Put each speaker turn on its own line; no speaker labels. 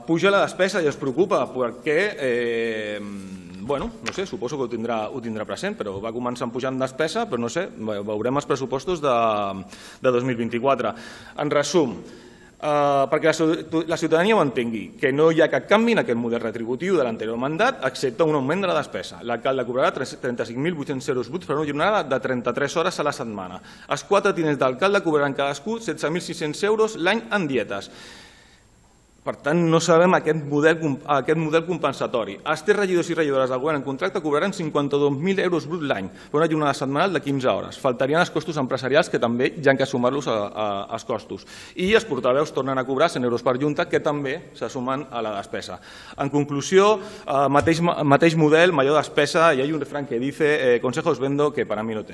Puja la despesa i es preocupa perquè, no sé, suposo que ho tindrà present, però va començar pujant despesa, però no sé, veurem els pressupostos de 2024. En resum, perquè la ciutadania ho entengui, que no hi ha cap canvi en aquest model retributiu de l'anterior mandat, excepte un augment de la despesa. L'alcalde cobrarà 35.800 euros bruts per una jornada de 33 hores a la setmana. Els 4 tinents d'alcalde cobraran cadascú 16.600 euros l'any en dietes. Per tant, no sabem aquest model compensatori. Els 3 regidors i regidores del govern en contracte cobraran 52.000 euros bruts l'any per una jornada setmanal de 15 hores. Faltarien els costos empresarials, que també hi ha que sumar-los als costos. I els portaveus tornen a cobrar 100 euros per junta, que també se sumen a la despesa. En conclusió, mateix model, major despesa, y hay un refrán que dice consejos vendo que para mí no tengo.